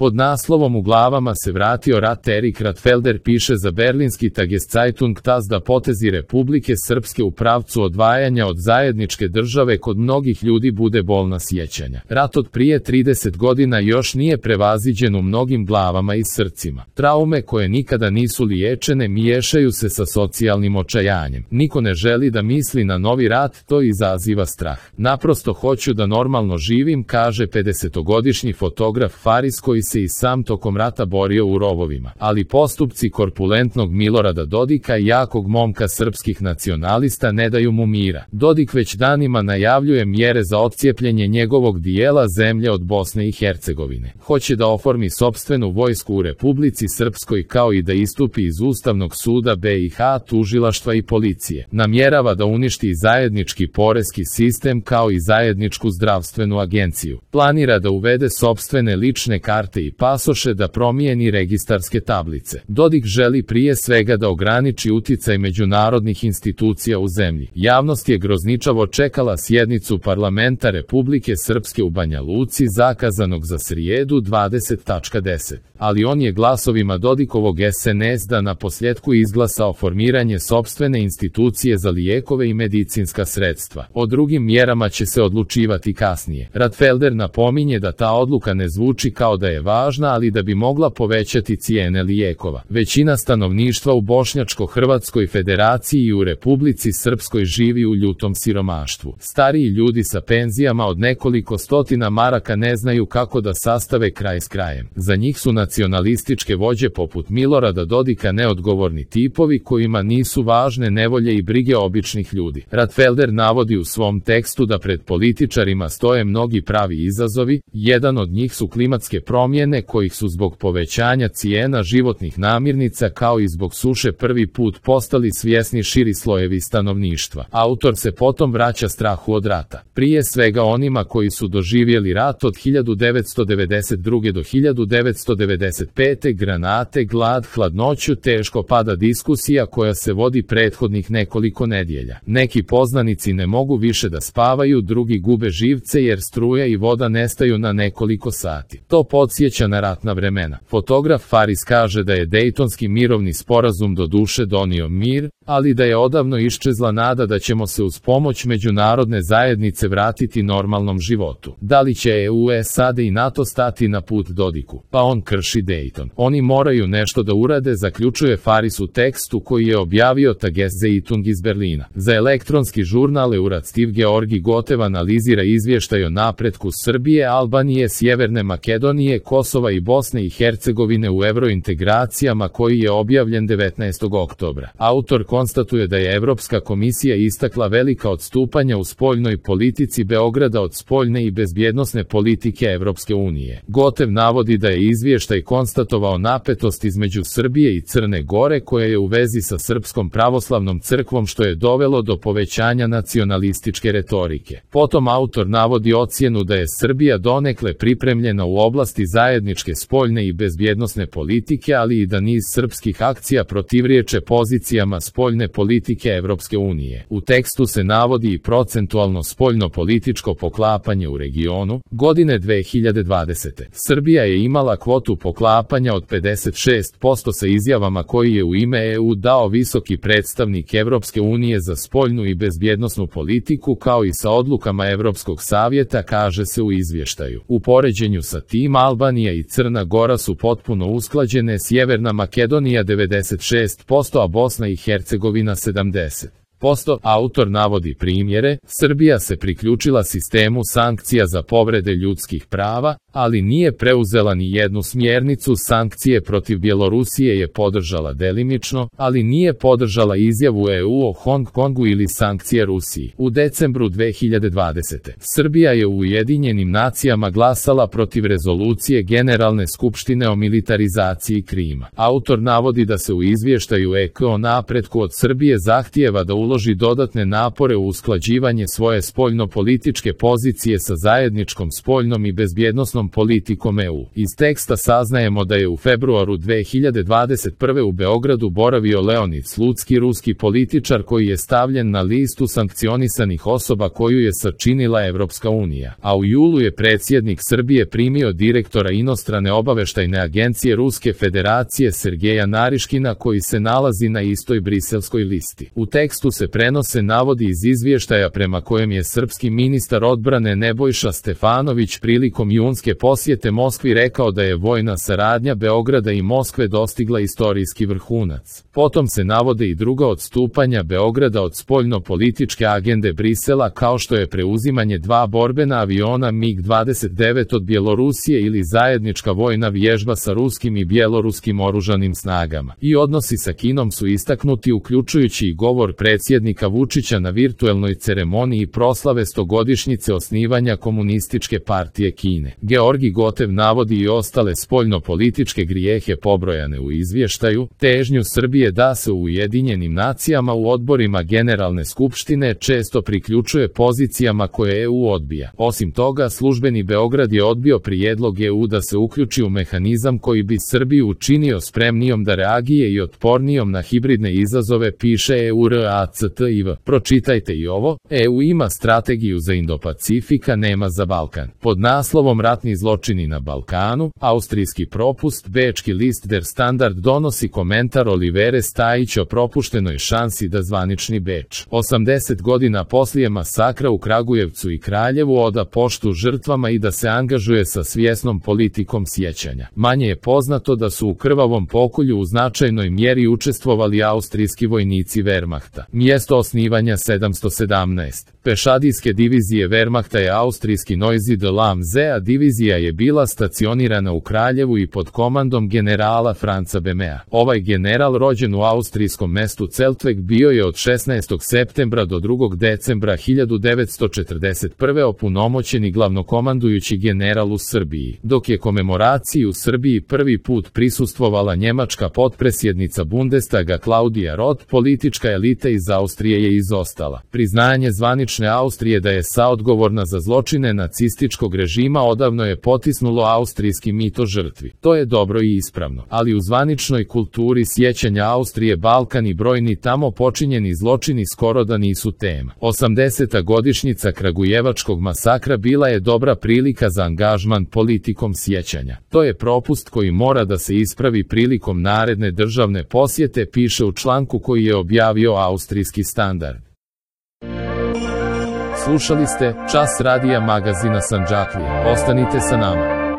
Pod naslovom "U glavama se vratio rat" Erik Ratfelder piše za berlinski Tageszeitung TAS da potezi Republike Srpske u pravcu odvajanja od zajedničke države kod mnogih ljudi bude bolna sjećanja. Rat od prije 30 godina još nije prevaziđen u mnogim glavama i srcima. Traume koje nikada nisu liječene miješaju se sa socijalnim očajanjem. Niko ne želi da misli na novi rat, to izaziva strah. Naprosto hoću da normalno živim, kaže 50-godišnji fotograf Faris koji se i sam tokom rata borio u rovovima. Ali postupci korpulentnog Milorada Dodika i jakog momka srpskih nacionalista ne daju mu mira. Dodik već danima najavljuje mjere za odcijepljenje njegovog dijela zemlje od Bosne i Hercegovine. Hoće da oformi sopstvenu vojsku u Republici Srpskoj kao i da istupi iz Ustavnog suda BiH, tužilaštva i policije. Namjerava da uništi zajednički poreski sistem kao i zajedničku zdravstvenu agenciju. Planira da uvede sopstvene lične karte i pasoše, da promijeni registarske tablice. Dodik želi prije svega da ograniči uticaj međunarodnih institucija u zemlji. Javnost je grozničavo čekala sjednicu parlamenta Republike Srpske u Banja Luci zakazanog za srijedu 20.10. Ali on je glasovima Dodikovog SNS da na posljedku izglasao formiranje sopstvene institucije za lijekove i medicinska sredstva. O drugim mjerama će se odlučivati kasnije. Ratfelder napominje da ta odluka ne zvuči kao da je važna, ali da bi mogla povećati cijene lijekova. Većina stanovništva u Bošnjačko-Hrvatskoj federaciji i u Republici Srpskoj živi u ljutom siromaštvu. Stariji ljudi sa penzijama od nekoliko stotina maraka ne znaju kako da sastave kraj s krajem. Za njih su nacionalističke vođe poput Milorada Dodika neodgovorni tipovi kojima nisu važne nevolje i brige običnih ljudi. Ratfelder navodi u svom tekstu da pred političarima stoje mnogi pravi izazovi, jedan od njih su klimatske promjene kojih su zbog povećanja cijena životnih namirnica kao i zbog suše prvi put postali svjesni širi slojevi stanovništva. Autor se potom vraća strahu od rata. Prije svega onima koji su doživjeli rat od 1992. do 1995. granate, glad, hladnoću, teško pada diskusija koja se vodi prethodnih nekoliko nedjelja. Neki poznanici ne mogu više da spavaju, drugi gube živce jer struja i voda nestaju na nekoliko sati. To podsjeća na ratna vremena. Fotograf Faris kaže da je Dejtonski mirovni sporazum do duše donio mir, ali da je odavno iščezla nada da ćemo se uz pomoć međunarodne zajednice vratiti normalnom životu. Da li će EU, SAD i NATO stati na put Dodiku? Pa on krši Dejton. Oni moraju nešto da urade, zaključuje Faris u tekstu koji je objavio Tageszeitung iz Berlina. Za elektronski žurnal Euratstiv Georgi Gotev analizira izvještaj o napretku Srbije, Albanije, Sjeverne Makedonije, Kosova i Bosne i Hercegovine u eurointegracijama koji je objavljen 19. oktobra. Autor konstatuje da je Evropska komisija istakla velika odstupanja u spoljnoj politici Beograda od spoljne i bezbjednosne politike Evropske unije. Gotev navodi da je izvještaj konstatovao napetost između Srbije i Crne Gore koja je u vezi sa Srpskom pravoslavnom crkvom što je dovelo do povećanja nacionalističke retorike. Potom autor navodi ocjenu da je Srbija donekle pripremljena u oblasti zajedničke spoljne i bezbjednosne politike, ali i da niz srpskih akcija protivriječe pozicijama spoljne politike Evropske unije. U tekstu se navodi i procentualno spoljno-političko poklapanje u regionu. Godine 2020. Srbija je imala kvotu poklapanja od 56% sa izjavama koji je u ime EU dao visoki predstavnik Evropske unije za spoljnu i bezbjednosnu politiku kao i sa odlukama Evropskog savjeta, kaže se u izvještaju. U poređenju sa tim Albanija i Crna Gora su potpuno usklađene, Sjeverna Makedonija 96%, a Bosna i Hercegovina 70%. Autor navodi primjere, Srbija se priključila sistemu sankcija za povrede ljudskih prava, ali nije preuzela ni jednu smjernicu. Sankcije protiv Bjelorusije je podržala delimično, ali nije podržala izjavu EU o Hong Kongu ili sankcije Rusiji. U decembru 2020. Srbija je u Ujedinjenim nacijama glasala protiv rezolucije Generalne skupštine o militarizaciji Krima. Autor navodi da se u izvještaju EK o napretku od Srbije zahtijeva da uloži dodatne napore u usklađivanje svoje spoljnopolitičke pozicije sa zajedničkom spoljnom i bezbjednosnom politikom EU. Iz teksta saznajemo da je u februaru 2021. u Beogradu boravio Leonid Slutski, ruski političar koji je stavljen na listu sankcionisanih osoba koju je sačinila Evropska unija, a u julu je predsjednik Srbije primio direktora inostrane obaveštajne agencije Ruske federacije Sergeja Nariškina koji se nalazi na istoj briselskoj listi. U tekstu se prenose navodi iz izvještaja prema kojem je srpski ministar odbrane Nebojša Stefanović prilikom junske posjete Moskvi rekao da je vojna saradnja Beograda i Moskve dostigla istorijski vrhunac. Potom se navode i druga odstupanja Beograda od spoljno-političke agende Brisela kao što je preuzimanje 2 borbena aviona MiG-29 od Bjelorusije ili zajednička vojna vježba sa ruskim i bjeloruskim oružanim snagama. I odnosi sa Kinom su istaknuti uključujući i govor predsjednika Vučića na virtuelnoj ceremoniji proslave 100-godišnjice osnivanja Komunističke partije Kine. Georgi Gotev navodi i ostale spoljno-političke grijehe pobrojane u izvještaju, težnju Srbije da se u Ujedinjenim nacijama u odborima Generalne skupštine često priključuje pozicijama koje EU odbija. Osim toga, službeni Beograd je odbio prijedlog EU da se uključi u mehanizam koji bi Srbiju učinio spremnijom da reagije i otpornijom na hibridne izazove, piše EURACTIV. Pročitajte i ovo, EU ima strategiju za Indo-Pacifik, a nema za Balkan. Pod naslovom Ratni zločini na Balkanu, austrijski propust, bečki list Der Standard donosi komentar Olivere Stajić o propuštenoj šansi da zvanični Beč 80 godina poslije masakra u Kragujevcu i Kraljevu oda poštu žrtvama i da se angažuje sa svjesnom politikom sjećanja. Manje je poznato da su u krvavom pokolju u značajnoj mjeri učestvovali austrijski vojnici Wehrmachta. Mjesto osnivanja 717. Pešadijske divizije Wehrmachta je austrijski Noisy de Lamze, a divizija je bila stacionirana u Kraljevu i pod komandom generala Franca Bemea. Ovaj general, rođen u austrijskom mestu Zeltweg, bio je od 16. septembra do 2. decembra 1941. opunomoćeni glavnokomandujući general u Srbiji, dok je komemoraciji u Srbiji prvi put prisustvovala njemačka potpredsjednica Bundestaga Klaudija Roth. Politička elita iz Austrije je izostala. Priznanje zvanične Austrije da je saodgovorna za zločine nacističkog režima odavno je potisnulo austrijski mito žrtvi. To je dobro i ispravno, ali u zvaničnoj kulturi sjećanja Austrije Balkan i brojni tamo počinjeni zločini skoro da nisu tema. 80. godišnjica Kragujevačkog masakra bila je dobra prilika za angažman politikom sjećanja. To je propust koji mora da se ispravi prilikom naredne državne posjete, piše u članku koji je objavio austrijski Standard. Slušali ste Čas radija magazina Sandžaklija. Ostanite sa nama.